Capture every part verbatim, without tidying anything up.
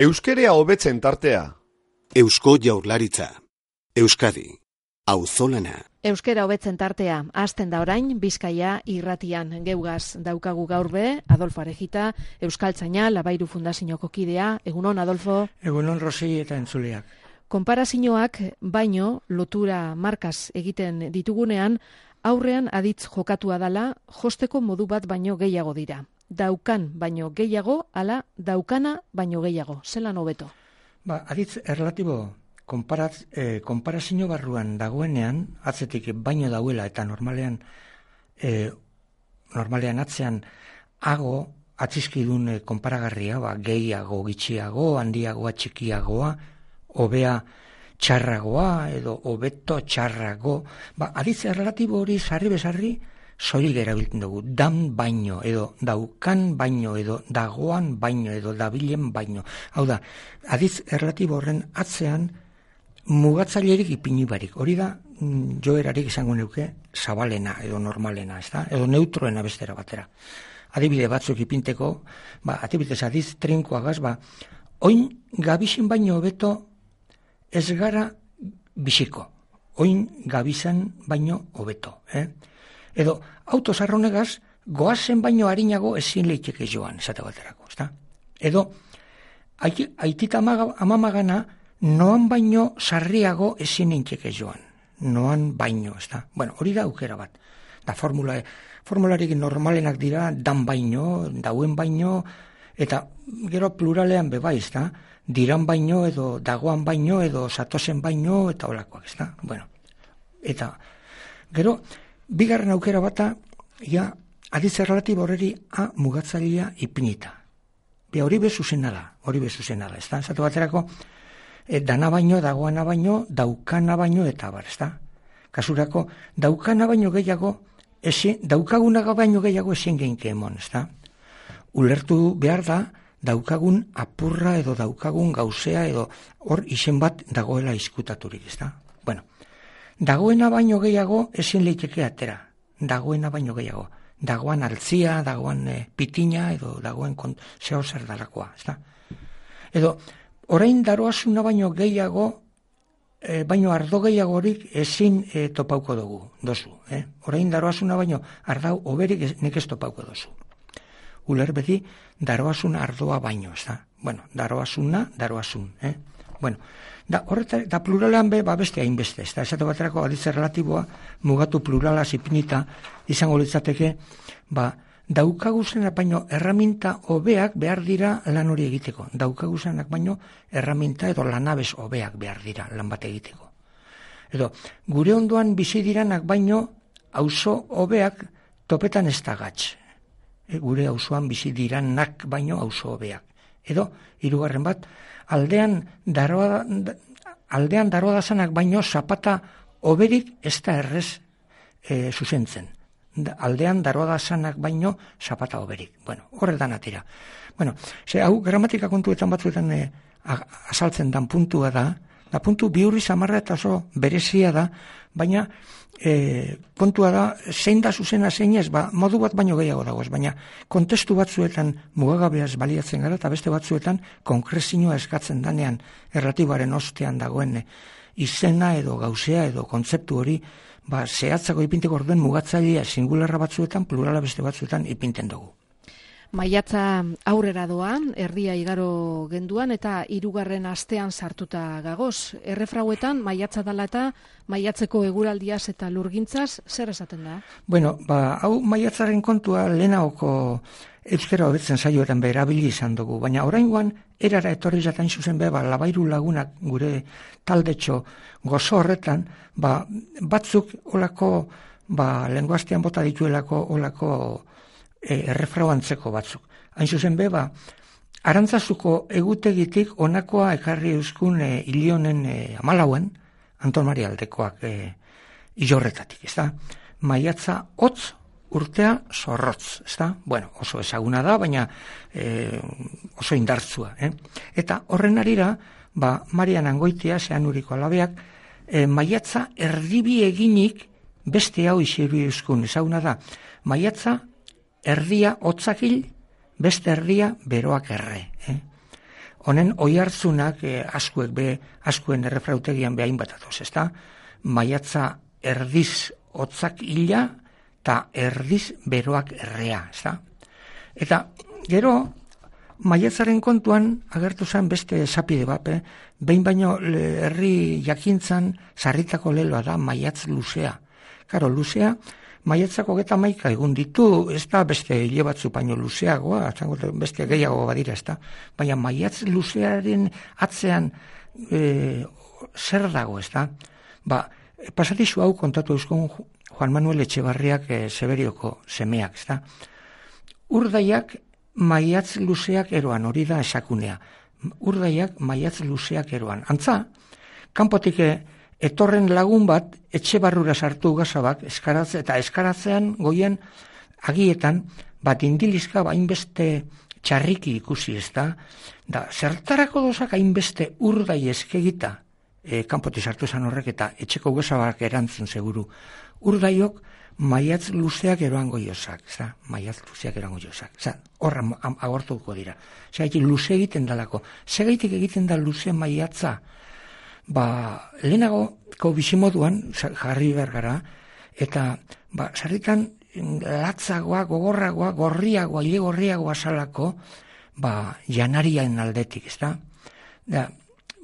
Euskerea hobetzen tartea. Eusko Jaurlaritza. Euskadi. Auzolana. Euskera hobetzen tartea. Hasten da orain Bizkaia irratian. Geugaz daukagu gaur be, Adolfo Arejita, Euskaltzaina, Labairu Fundazioko kidea. Egunon, Adolfo. Egunon, Rosi eta entzuleak. Konparazioak baino lotura markaz egiten ditugunean, aurrean aditz jokatua dala, josteko modu bat baino gehiago dira. Daukan baino gehiago, ala daukana baino gehiago. Zelan hobeto? Ba, aditz erlatibo konparaz, eh, konparazio barruan dagoenean, atzetik baino dauela eta normalean eh, normalean atzean hago atzizkidun eh, konparagarria, ba, gehiago, gitxiago, handiagoa, txikiagoa, hobea txarragoa edo hobeto txarrago. Ba, aditz erlatibo hori sarri bezarri soilik erabiltzen dugu, dan baino, edo daukan baino, edo dagoan baino, edo dabilen baino. Hau da, aditz erlatibo horren atzean mugatzailerik ipini barik. Hori da, joerarik izango neuke zabalena, edo normalena, ez da? Edo neutroena bestera batera. Adibide batzuk ipinteko, ba, adibidez aditz trinkoagaz, ba, oin gabizin baino hobeto ez gara biziko. Oin gabizan baino hobeto, eh? Edo, autosarronegaz, goazen baino harinago ezin leiteke joan, esate baterako, ezta? Edo, aitita amamagana, noan baino sarriago ezin leiteke joan. Noan baino, ezta? Bueno, hori da aukera bat. Da, formula, formularik normalenak dira, dan baino, dauen baino, eta gero pluralean bebai, ezta? Diran baino, edo dagoan baino, edo satozen baino, eta holakoak, ezta? Bueno, eta, gero, bigarren aukera bata, ja, aditz erlatibo horreri a mugatzailea ipinita. Be hori bezuzena da, hori bezuzena da, ez da? Zatu baterako, e, dana baino, dagoana baino, daukana baino, eta bar, ez da? Kasurako, daukana baino gehiago, ezin, daukagunaga baino gehiago ezin geinke emon, ez da? Ulertu behar da, daukagun apurra edo daukagun gauzea edo hor izen bat dagoela izkutaturik, ez da? Bueno, dagoena baino gehiago ezin leiteke atera. Dagoena baino gehiago. Dagoan altzia, dagoan e, pitina, edo dagoen zeo zer dalakoa. Ezta? Edo, orain daroazuna baino gehiago, e, baino ardo gehiagorik ezin e, topauko dugu, dozu. Eh? Orain daroazuna baino ardau oberik nek ez topauko dozu. Uler beti, daroazuna ardoa baino. Ezta? Bueno, daroazuna, daroazun. Eh? Bueno, da, horreta, da pluralean be, ba beste hainbeste, ez da, esate baterako aditz erlatiboa, mugatu plurala zipinita, izango litzateke, ba, daukaguzenak baino erraminta hobeak behar dira lan hori egiteko. Daukaguzenak baino erraminta edo lanabez hobeak behar dira lan bat egiteko. Edo, gure ondoan bizi diranak baino, auzo hobeak topetan ez da gatz. E, gure auzoan bizi diranak baino auzo hobeak. Edo, hirugarren bat, aldean daroa, aldean daroa dazanak baino zapata oberik ez da errez e, zuzentzen. Da, aldean daroa dazanak baino zapata oberik. Bueno, horretan atira. Bueno, ze hau gramatika kontuetan batzuetan e, azaltzen dan puntua da, da puntu bihurri samarra eta oso berezia da, baina e, kontua da, zein da zuzena zein ez, ba, modu bat baino gehiago dagoez, baina kontestu batzuetan mugagabeaz baliatzen gara, eta beste batzuetan konkrezioa eskatzen danean erlatiboaren ostean dagoen e, izena edo gauzea edo kontzeptu hori, ba, zehatzako ipinteko orduen mugatzailea singularra batzuetan, plurala beste batzuetan ipinten dugu. Maiatza aurrera doan, erdia igaro genduan eta hirugarren astean sartuta gagoz. Errefrauetan maiatza dala eta maiatzeko eguraldiaz eta lurgintzaz zer esaten da? Bueno, ba, hau maiatzaren kontua lehenagoko euskera hobetzen saioetan berabili izan dugu, baina oraingoan erara etorri jatain zuzen be, ba, Labairu Lagunak gure taldetxo gozo horretan, ba, batzuk olako, ba, lenguastean bota dituelako olako E, errefrau antzeko batzuk. Hain zuzen be, ba, Arantzazuko egutegitik onakoa ekarri euskun e, hilionen e, amalauen, Anton Maria aldekoak e, ilorretatik, ez da? Maiatza hotz, urtea zorrotz, ez da? Bueno, oso ezaguna da, baina e, oso indartzua, eh? Eta horren arira, ba, Marian Angoitia, Zeanuriko alabeak, e, maiatza erdibi eginik beste hau isiru euskun, ezaguna da, maiatza erdia hotzakil, beste erdia beroak erre. Eh? honen oihartzunak e, askuek be, askuen errefrautegian behain bat atoz, ezta? Maiatza erdiz hotzak hila, eta erdiz beroak errea, ezta? Eta gero, maiatzaren kontuan agertu zen beste esapide bat, eh? Behin baino herri jakintzan sarritako leloa da maiatz luzea. Karo, luzea, maiatzako geta maika egun ditu, ez da beste hile batzu baino luzeagoa, beste gehiago badira, ez da. Baina maiatz luzearen atzean e, zer dago, ez da. Ba, pasatizu hau kontatu euskon Juan Manuel Etxebarriak e, Seberioko semeak, ez da. Urdaiak maiatz luzeak eroan, hori da esakunea. Urdaiak maiatz luzeak eroan. Antza, kanpotik etorren lagun bat etxe barrura sartu gazabak eskaratze, eta eskaratzean goien agietan bat indilizka hainbeste txarriki ikusi, ez da. Da, zertarako dozak hainbeste urdai eskegita e, kanpotik sartu zan horrek eta etxeko gazabak erantzun seguru. Urdaiok maiatz luzeak eroan goiozak, za? Maiatz luzeak eroan goiozak. Za, horra agortuko dira. Zagaitik luze egiten dalako. Zagaitik egiten da luze maiatza. Ba, lehenagoko bizimoduan, jarri bergara, eta, ba, sarritan latzagoa, gogorragoa, gorriagoa, ile gorriagoa salako, ba, janarian aldetik, ez da? Da,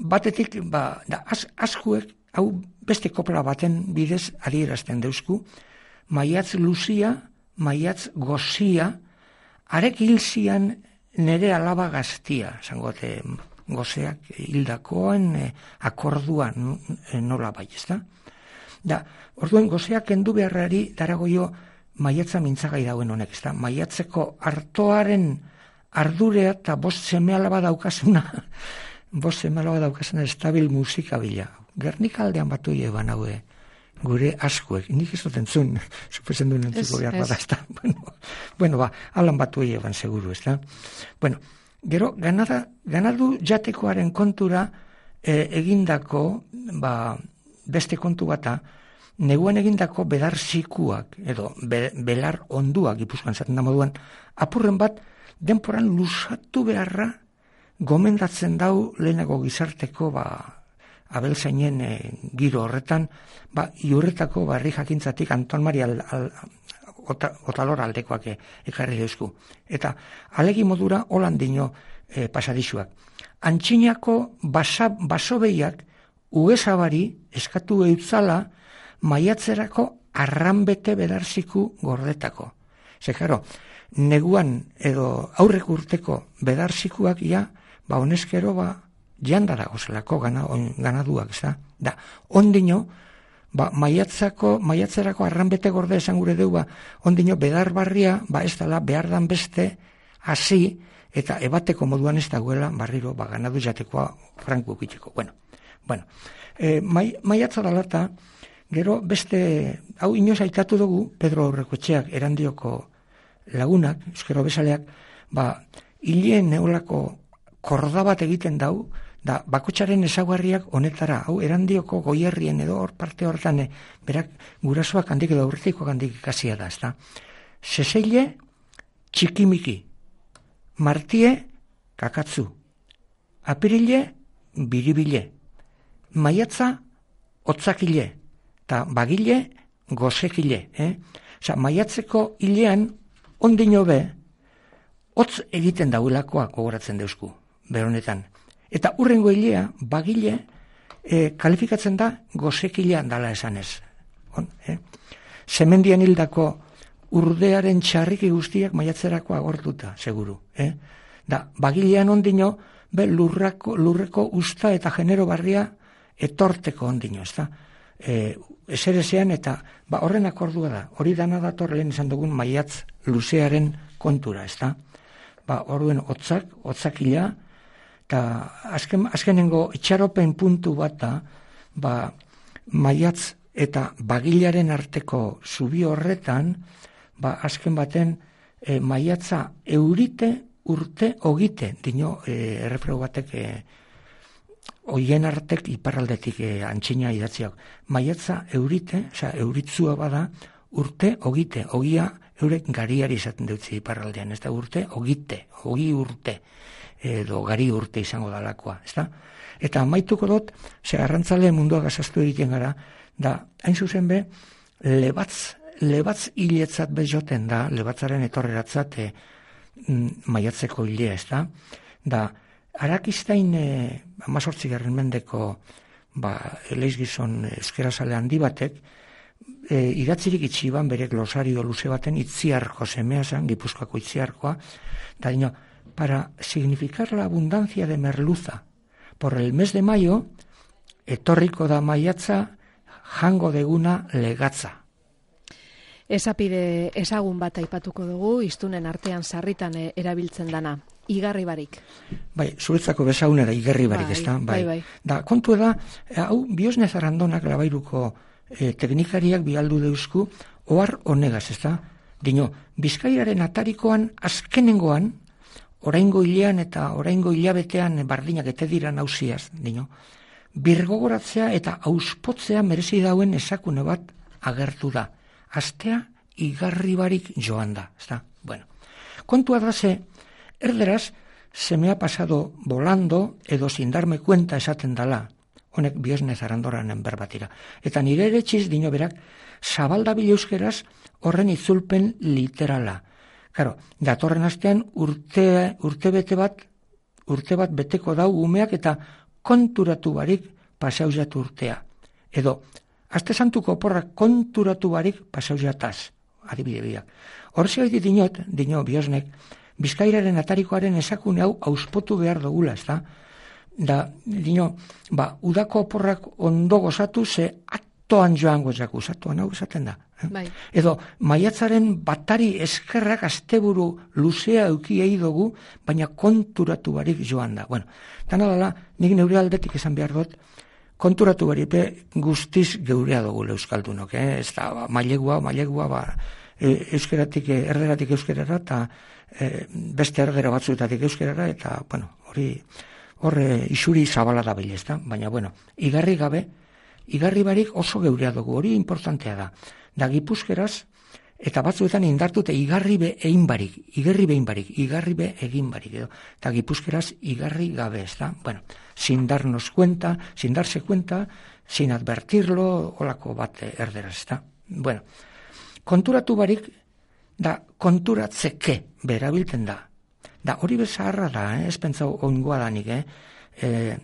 batetik, ba, da, az, askuek, hau beste kopla baten bidez adierazten deusku, maiatz luzia, maiatz gozia, arek hilzian nere alaba gaztia, zangote gozeak hildakoen e, akorduan e, nola bai, ez da? Da, orduen gozeak kendu beharrari daragoio maiatza mintzagai dauen honek, ez da? Maiatzeko artoaren ardurea eta bost seme alaba daukasuna, bost seme alaba daukasuna estabil musika bila. Gernika aldean batu eban haue, gure askuek, nik ez dut entzun, suposen duen entzuko behar bada, ez da. Bueno, bueno, ba, alan batu eban seguru, ez da. Bueno, gero, ganada, ganadu jatekoaren kontura e, egindako, ba, beste kontu bata, neguan egindako bedar zikuak, edo be, belar onduak, Gipuzkoan zaten da moduan, apurren bat, denporan lusatu beharra, gomendatzen dau lehenago gizarteko, ba, abeltzainen e, giro horretan, ba, iurretako barri jakintzatik Anton Mari al, al, ota, otalor aldekoak e, ekarri deusku. Eta alegi modura holandino e, pasadisuak. Antxinako basa, basobeiak ugesabari eskatu eutzala maiatzerako arranbete bedarziku gordetako. Zekaro, neguan edo aurrek urteko bedarzikuak ja, ba honezkero ba janda dago zelako gana, ganaduak, ez da? Da, ondino, ba, maiatzako, maiatzerako arranbete gorde esan gure deu, ba, ondino bedar barria, ba, ez dala, behar dan beste, hasi, eta ebateko moduan ez dagoela, barriro, ba, ganadu jatekoa franku ukiteko. Bueno, bueno, e, mai, maiatza dalata, gero beste, hau inoz aitatu dugu, Pedro Aurrekoetxeak erandioko lagunak, euskero bezaleak, ba, hileen neolako korda bat egiten dau, da bakotxaren ezaguarriak honetara, hau erandioko goierrien edo hor parte hortan, berak gurasoak handik edo aurretikoak handik ikasia da, ez da. Seseile, txikimiki, martie, kakatzu, apirile, biribile, maiatza, otzakile, eta bagile, gozekile. Eh? Osa, maiatzeko hilean, ondino be, hotz egiten dauelakoa gogoratzen deusku, beronetan. Eta urrengo hilea, bagile, e, kalifikatzen da gozekilea dala esanez. On, eh? Semendian hildako urdearen txarriki guztiak maiatzerako agortuta, seguru. Eh? Da, bagilean ondino, be lurrako, lurreko usta eta genero barria etorteko ondino, ez da? E, eserezean eta ba, horren akordua da. Hori dana dator lehen izan dugun maiatz luzearen kontura, ez da? Ba, orduen hotzak, hotzakila, eta azken, azkenengo itxaropen puntu bat da, ba, maiatz eta bagilaren arteko zubi horretan, ba, azken baten e, maiatza eurite urte ogite, dino e, errefreu batek e, oien artek iparraldetik e, antxina idatziak. Maiatza eurite, oza, euritzua bada, urte ogite, ogia eurek gariari izaten dutzi iparraldean, ez da urte ogite, ogi urte. edo gari urte izango dalakoa, ezta? Eta amaituko dut, ze arrantzale mundua gazaztu egiten gara, da, hain zuzen be, lebatz, lebatz hiletzat bezoten da, lebatzaren etorreratzat e, maiatzeko hilea, ezta? Da, Arakistain e, amazortzi garren mendeko ba, eleizgizon euskerazale handi batek, e, idatzirik itxiban bere glosario luze baten itziarko semea zen, Gipuzkoako itziarkoa, eta dino, para significar la abundancia de merluza, por el mes de mayo, etorriko da maiatza, jango deguna legatza. Esapide ezagun bat aipatuko dugu, iztunen artean sarritan erabiltzen dana. Igarri barik. Bai, zuretzako bezagunera igarri barik, bai, ez da? Bai. Bai, bai. Da, kontu da, hau, Biosne Zarandonak labairuko eh, teknikariak bialdu deuzku, ohar honegaz, ez da? Dino, Bizkaiaren atarikoan azkenengoan, oraingo hilean eta oraingo hilabetean bardinak ete dira nausiaz, dino, birgogoratzea eta auspotzea merezi dauen esakune bat agertu da. Astea igarri barik joan da, ez da? Bueno, kontua da ze, erderaz, se me ha pasado volando edo sin darme cuenta esaten dala. Honek Biosne Zarandoranen berbatira. Eta nire ere txiz dino berak, zabaldabil euskeraz horren itzulpen literala. Karo, datorren astean urte, urte bete bat, urte bat beteko dau umeak eta konturatu barik pasauzat urtea. Edo, aste santuko oporrak konturatu barik pasauzataz. Adibide biak. Horzi gaiti dinot, dino Biosnek, Bizkairaren atarikoaren esakune hau auspotu behar dugula, ez da? Da, dino, ba, udako oporrak ondo gozatu, ze atoan joan gozaku, atoan hau esaten da. Eh? Bai. Edo, maiatzaren batari eskerrak asteburu luzea eukiei dugu, baina konturatu barik joan da. Bueno, tan adala, nik neure aldetik esan behar dut, konturatu barik guztiz geurea dugu euskaldunok, eh? Ez da, ba, mailegua, mailegua, ba, e, euskeratik, erderatik euskerara, eta E, beste ergera batzuetatik euskerara, eta, bueno, hori, horre isuri zabala da bilez, da? Baina, bueno, igarri gabe, igarri barik oso geurea dugu, hori importantea da. Da Gipuzkeraz, eta batzuetan indartute igarri be egin barik, igarri behin barik, igarri be egin barik, edo. Eta Gipuzkeraz igarri gabe, ez da? Bueno, sin darnos cuenta, sin darse cuenta, sin advertirlo, holako bat erderaz, ez da? Bueno, konturatu barik, da konturatzeke berabilten da. Da hori bezaharra da, eh? Ez pentsau oingoa danik, eh? E,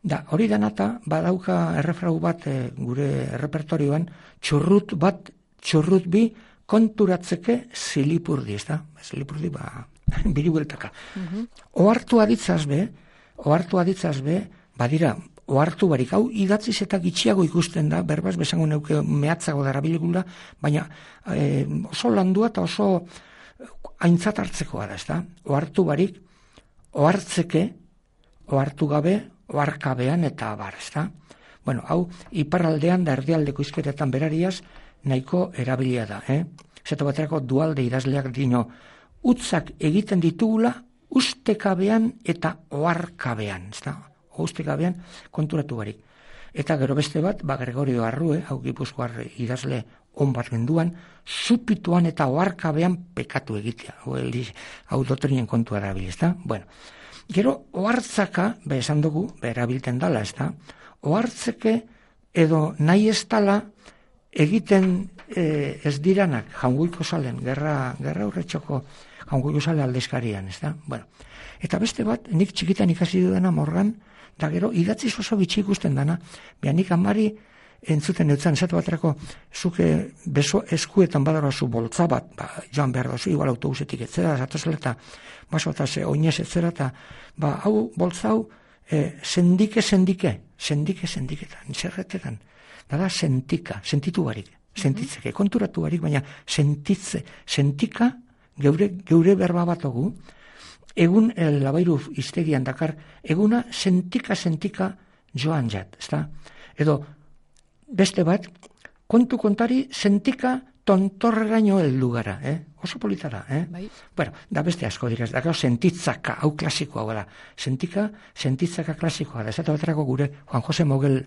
da hori danata badauka errefrau bat e, gure repertorioan, txurrut bat, txurrut bi, konturatzeke zilipurdi, ez da? Zilipurdi, ba, biri bueltaka. Uh-huh. Ohartu aditzaz be, ohartu aditzaz be, badira, ohartu barik, hau idatziz eta gitxiago ikusten da, berbaz bezango neuke mehatzago darabilegula, baina e, oso landua eta oso aintzat hartzekoa da, ez da? Ohartu barik, ohartzeke, ohartu gabe, oharkabean eta abar, ez da? Bueno, hau iparraldean da erdialdeko izkeretan berariaz nahiko erabilia da, eh? Zeta baterako dualde idazleak dino, utzak egiten ditugula ustekabean eta oharkabean, ez da? Ustekabean konturatu barik. Eta gero beste bat, ba Gregorio Arrue, hau Gipuzkoar idazle on bat genduan, supituan eta oharkabean pekatu egitea. Hau, hau dotrinen kontua erabil, ez da? Bueno, gero ohartzaka, be esan dugu, be erabilten dala, ez da? Ohartzeke edo nahi ez dala egiten e, ez diranak Jaungoiko Salen, gerra, gerra urretxoko Jaungoiko Sale aldezkarian, ez da? Bueno, eta beste bat, nik txikitan ikasi dudana Morgan, da gero idatziz oso bitxi ikusten dana, beha nik amari entzuten eutzen, esatu baterako, zuke beso eskuetan badara zu boltza bat, ba, joan behar da zu, igual autobusetik etzera, zatozela eta baso eta ze oinez etzera, eta ba, hau boltza hau, e, sendike, sendike, sendike, sendiketan, zerretetan, da da sentika, sentitu barik, sentitzeke, konturatu barik, baina sentitze, sentika, geure, geure berba batogu, egun el labairu iztegian dakar, eguna sentika-sentika joan jat, ezta? Edo, beste bat, kontu kontari sentika tontorreraino heldu gara, eh? Oso politara, eh? Bai. Bueno, da beste asko dira, da gero sentitzaka, hau klasikoa gara, sentika, sentitzaka klasikoa da, ezata baterako gure Juan Jose Mogel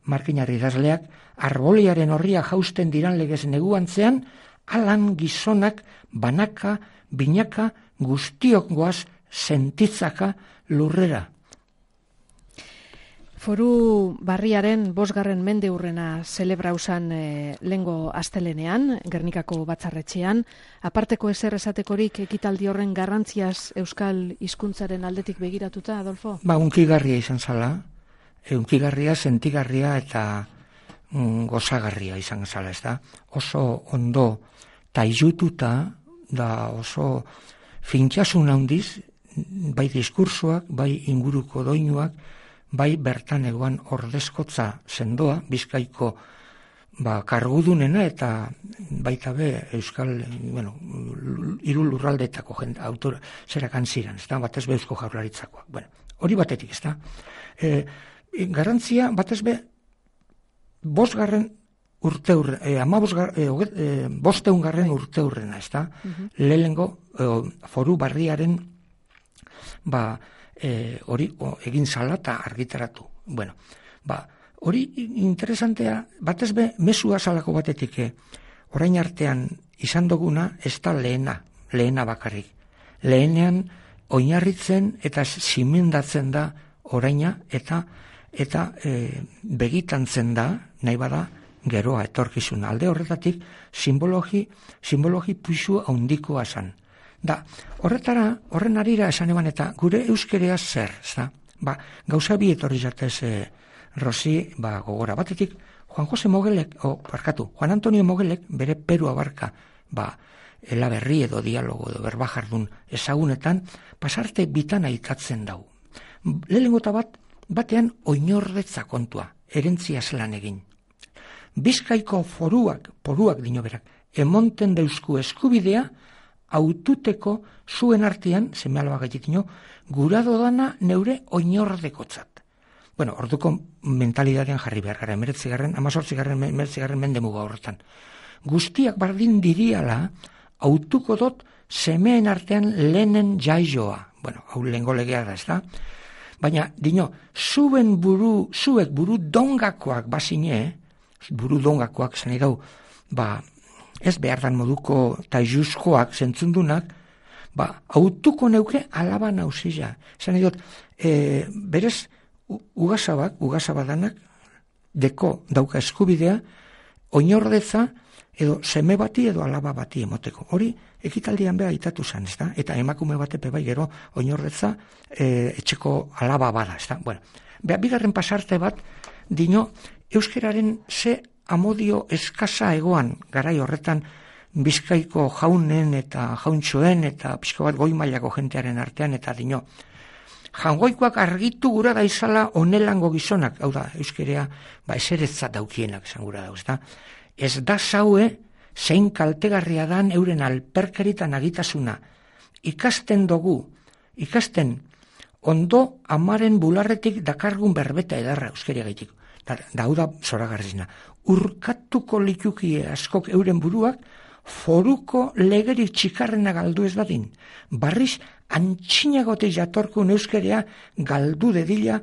markinarri idazleak, arboliaren horria jausten diran legez neguantzean, alan gizonak, banaka, binaka, guztiok goaz sentitzaka lurrera. Foru barriaren bosgarren mende hurrena zelebrausan e, lengo astelenean, Gernikako batzarretxean, aparteko ezer esatekorik ekitaldi horren garrantziaz euskal hizkuntzaren aldetik begiratuta, Adolfo? Ba, unkigarria izan zala, e, unkigarria, sentigarria eta mm, gozagarria izan zala, ez da? Oso ondo taizututa, da oso fintxasun handiz, bai diskursoak, bai inguruko doinuak, bai bertan egoan ordezkotza sendoa, Bizkaiko ba, kargudunena eta baita be euskal, bueno, hiru lurraldetako jende, autor, zerakan ziren, ez da, batez be Eusko Jaurlaritzakoak. Bueno, hori batetik, ez da. E, garantzia, batez be, bosgarren urte hurren, e, ama bosgar, e, e, bosteungarren urte hurrena, ez da. Uh-huh. Lehengo e, foru barriaren, ba, E, hori o, egin zala eta argitaratu. Bueno, ba, hori interesantea, batez be, mesua zalako batetik, eh, orain artean izan duguna, ez da lehena, lehena bakarrik. Lehenean, oinarritzen eta simendatzen da oraina, eta eta e, begitantzen da, nahi bada, geroa etorkizuna. Alde horretatik, simbologi, simbologi puixu handikoa zan. Da, horretara, horren arira esan eban eta gure euskerea zer, ez da? Ba, gauza bi etorri jatez e, Rosi, ba, gogora. Batetik, Juan Jose Mogelek, o, parkatu, Juan Antonio Mogelek, bere Peru abarka, ba, elaberri edo dialogo edo berbajardun ezagunetan, pasarte bitan aitatzen dau. Lehenengo eta bat, batean oinordetza kontua, erentzia zelan egin. Bizkaiko foruak, poruak dino berak, emonten deusku eskubidea, aututeko zuen artean, seme alaba gaititino, gura dodana neure oinordekotzat. Bueno, orduko mentalidadean jarri behar gara, emeretzigarren, amazortzigarren, emeretzigarren mendemuga horretan. Guztiak bardin diriala, autuko dot semeen artean lehenen jaioa. Bueno, hau lehengo legea da, ez da? Baina, dino, zuen buru, zuek buru dongakoak bazine, buru dongakoak zen idau, ba, ez behar dan moduko taizuzkoak zentzundunak, ba, autuko neuke alaba nauzila. Zan idot, e, berez, ugasabak, ugasabadanak, deko dauka eskubidea, oinordetza, edo seme bati edo alaba bati emoteko. Hori, ekitaldian beha itatu zen, ez da? Eta emakume batepe bai gero, oinordetza, e, etxeko alaba bada, ez da? Bueno, beha, bigarren pasarte bat, dino, euskeraren ze amodio eskasa egoan, garai horretan Bizkaiko jaunen eta jauntxoen eta pixko bat goi mailako jentearen artean, eta dino, jangoikoak argitu gura da izala onelango gizonak, hau da, euskerea, ba, eseretzat daukienak esan gura da, ez da? Ez da zaue, zein kaltegarria dan euren alperkeritan agitasuna. Ikasten dugu, ikasten, ondo amaren bularretik dakargun berbeta edarra euskeria gaitik. Da, da, hau da, zoragarrizna. Urkatuko litukie askok euren buruak, foruko legeri txikarrena galdu ez dadin. Barriz, antxinagote jatorkun euskerea galdu dedila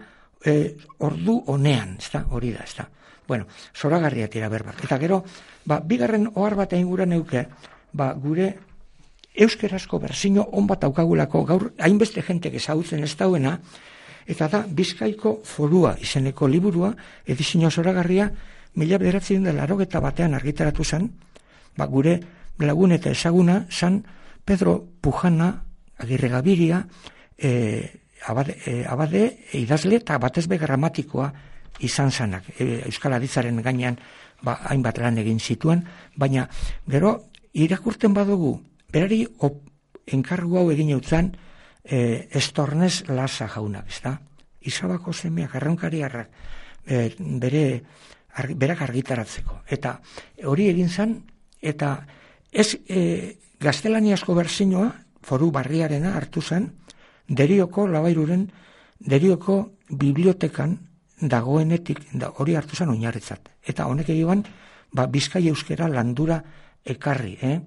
e, ordu honean, ez da, hori da, ez da. Bueno, zoragarria tira berbak. Eta gero, ba, bigarren ohar bat ainguran euke, ba, gure euskerazko berzino on bat aukagulako, gaur hainbeste jentek ezagutzen ez dauena, eta da Bizkaiko forua izeneko liburua, edizio zoragarria, mila bederatzen dela larogeta batean argitaratu zen, ba, gure lagun eta ezaguna zan Pedro Pujana, Agirre Gabiria, e, abade, e, abade e, idazle eta batezbe gramatikoa izan zanak. E, Euskal Aditzaren gainean ba, hainbat lan egin zituen, baina gero irakurten badugu, berari op, enkargu hau egin eutzan, E, estornez lasa jaunak, ez da? Izabako semeak, arraunkariarrak, e, bere, argi, berak argitaratzeko. Eta hori egin zen, eta ez e, gaztelaniazko berzinoa, foru barriarena hartu zen, Derioko Labairuren, Derioko bibliotekan dagoenetik, da, hori hartu zen oinarritzat. Eta honek egiban, ba, Bizkai euskera landura ekarri, eh?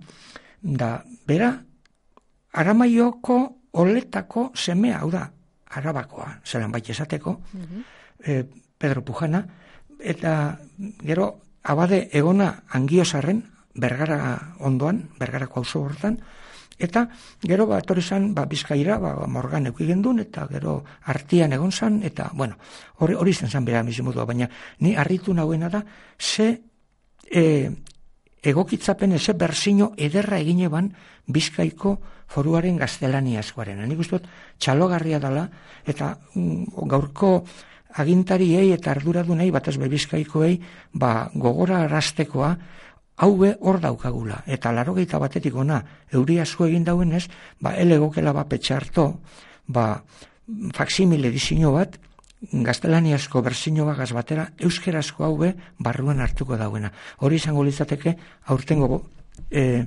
Da, bera, Aramaioko oletako semea, hau da, Arabakoa, zelan baita esateko, uh-huh. e, Pedro Pujana, eta gero abade egona Angiozarren, Bergara ondoan, Bergarako auzo hortan, Eta gero ba, etorri zan, ba, Bizkaira, ba, Morgan euki gendun, eta gero Artian egon zan, eta, bueno, hori, hori zen zan bera bizimodua, baina ni harritu nahuena da, ze e, egokitzapen, ze berzino ederra egin eban Bizkaiko foruaren gaztelaniazkoaren. Nik uste dut, txalogarria dela, eta mm, gaurko agintariei eta arduradunei, batez be Bizkaikoei, ba, gogora arrastekoa, haue hor daukagula, eta laurogeita batetik ona euri asko egin dauenez, ba, elegokela ba petxarto, ba, faksimile disino bat, gaztelaniazko berzino bagaz batera, euskerazko haue barruan hartuko dauena. Hori izango litzateke, aurtengo e,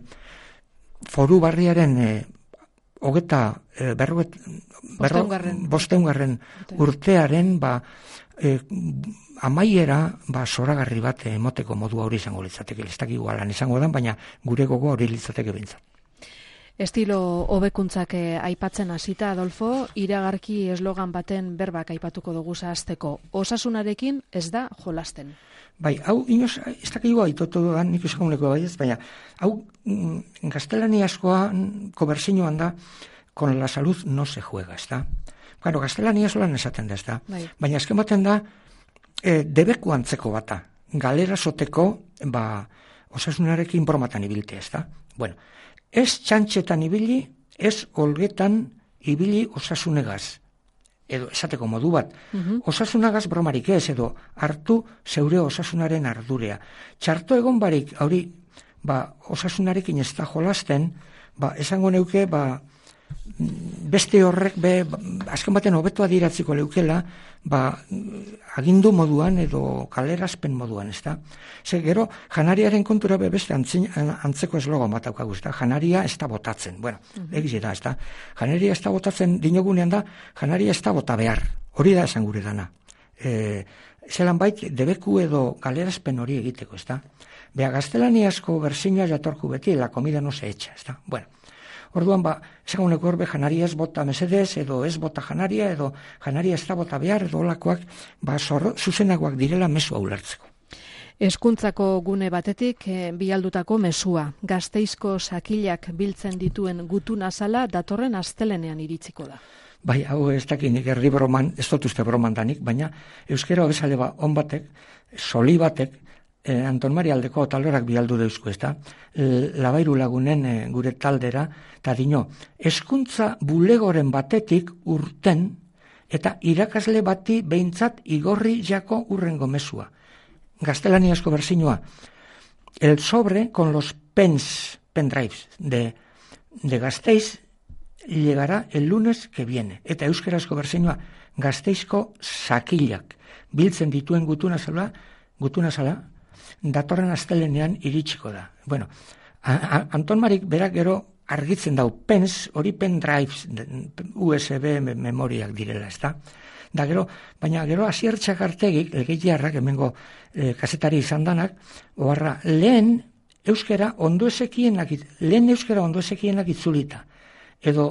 foru barriaren e, hogeta e, berroget, berro, bosteungarren urtearen, ba, e, amaiera, ba, zoragarri bat emoteko modua hori izango litzateke, ez dakik igualan izango dan, baina gure gogo hori litzateke bintzat. Estilo hobekuntzak aipatzen hasita, Adolfo, iragarki eslogan baten berbak aipatuko dugu zahazteko. Osasunarekin ez da jolasten. Bai, hau, inoz, ez dakigu aitotu dudan, nik esakuneko bai ez, baina, hau, mm, gaztelaniazkoa koberzinoan da, con la salud no se juega, ez da? Claro, gaztelaniazkoan esaten da, ez da? Bai. Baina azken baten da, e, debeku antzeko bata, galera soteko, ba, osasunarekin bromatan ibiltea, ez da? Bueno, ez txantxetan ibili, ez olgetan ibili osasunegaz. Edo, esateko modu bat, uh-huh. Osasunagaz bromarik ez, edo hartu zeure osasunaren ardurea. Txarto egon barik, hori, ba, osasunarekin ez da jolasten, ba, esango neuke, ba, beste horrek, be, azken baten hobeto adiratziko leukela, ba, agindu moduan edo kalerazpen moduan, ez da? Ze gero, janariaren kontura be beste antzin, antzeko eslogan bat daukagu, ez da? Janaria ez da botatzen, bueno, uh-huh. egiz da, ez da? Janaria ez da botatzen dinogunean da, janaria ez da bota behar, hori da esan gure dana. E, zelan bait, debeku edo kalerazpen hori egiteko, ez da? Bea, gaztelaniazko berzinoa jatorku beti, la comida no se echa, ez da? Bueno, orduan, ba, esaguneko horbe janaria ez bota mesedez, edo ez bota janaria, edo janaria ez da bota behar, edo olakoak, ba, zorro, zuzenagoak direla mesua ulertzeko. Hezkuntzako gune batetik, e, bialdutako mesua. Gasteizko sakilak biltzen dituen gutun azala datorren astelenean iritsiko da. Bai, hau ez dakinik erdi broman, ez dut uste broman danik, baina euskera bezale ba, on batek, soli batek, Eh, Anton Maria aldeko talorak bialdu deuzko, ez da? Labairu lagunen eh, gure taldera, eta dino, hezkuntza bulegoren batetik urten, eta irakasle bati behintzat igorri jako urrengo mesua. Gaztelaniazko berzinoa. El sobre con los pens, pendrives de, de Gasteiz llegará el lunes que viene. Eta euskerazko berzinoa, Gasteizko sakilak. Biltzen dituen gutuna zala, gutuna zala, datorren astelenean iritsiko da. Bueno, a, a, Anton Marik berak gero argitzen dau, pens, hori pen drives, U S B memoriak direla, ez da? Da gero, baina gero Asiertxak artegik, legeiarrak, hemengo e, kasetari izan danak, oharra, lehen euskera ondo ezekienak, lehen euskera ondo ezekienak itzulita, edo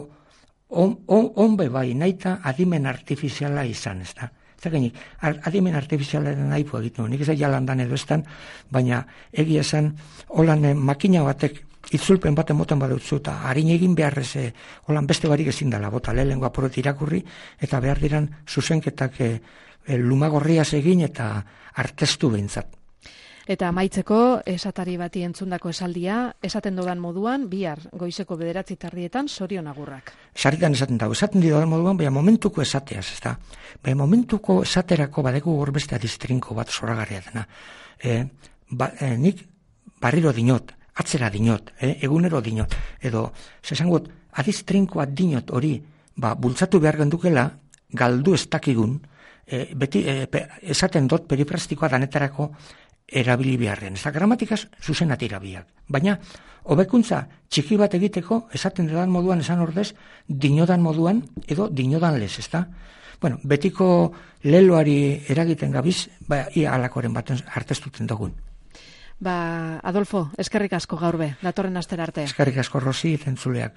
on, on, onbe bai, naita adimen artifiziala izan, ez da? Zakenik, adimen artifizialaren naipu egiten, nik ez jalandan edo estan, baina egia esan, holan eh, makina batek itzulpen baten moten badutzu, eta harin egin beharrez, eh, holan beste barik ezin dela, bota lehenengo apuret irakurri, eta behar diran zuzenketak eh, eh, lumagorriaz egin eta artestu behintzat. Eta amaitzeko, esatari bati entzundako esaldia, esaten dodan moduan, bihar goizeko bederatzi tardietan, sorion agurrak. Sarritan esaten dago, esaten dodan moduan, baina momentuko esateaz, ez da. Baina momentuko esaterako badeko gorbeste adistrinko bat zoragarria dena. E, ba, e, nik barriro dinot, atzera dinot, e, egunero dinot, edo, zesangot, adistrinkoa dinot hori, ba, bultzatu behar gendukela, galdu ez dakigun, e, beti, e, pe, esaten dot periprastikoa danetarako, erabili beharren. Ez da, gramatikaz zuzenat irabiak. Baina, hobekuntza txiki bat egiteko, esaten dudan moduan, esan ordez, dinodan moduan, edo dinodan lez, ez da? Bueno, betiko leloari eragiten gabiz, ba, ia alakoren baten artestuten dugun. Ba, Adolfo, eskerrik asko gaur be, datorren astera arte. Eskerrik asko, Rosi, zentzuleak.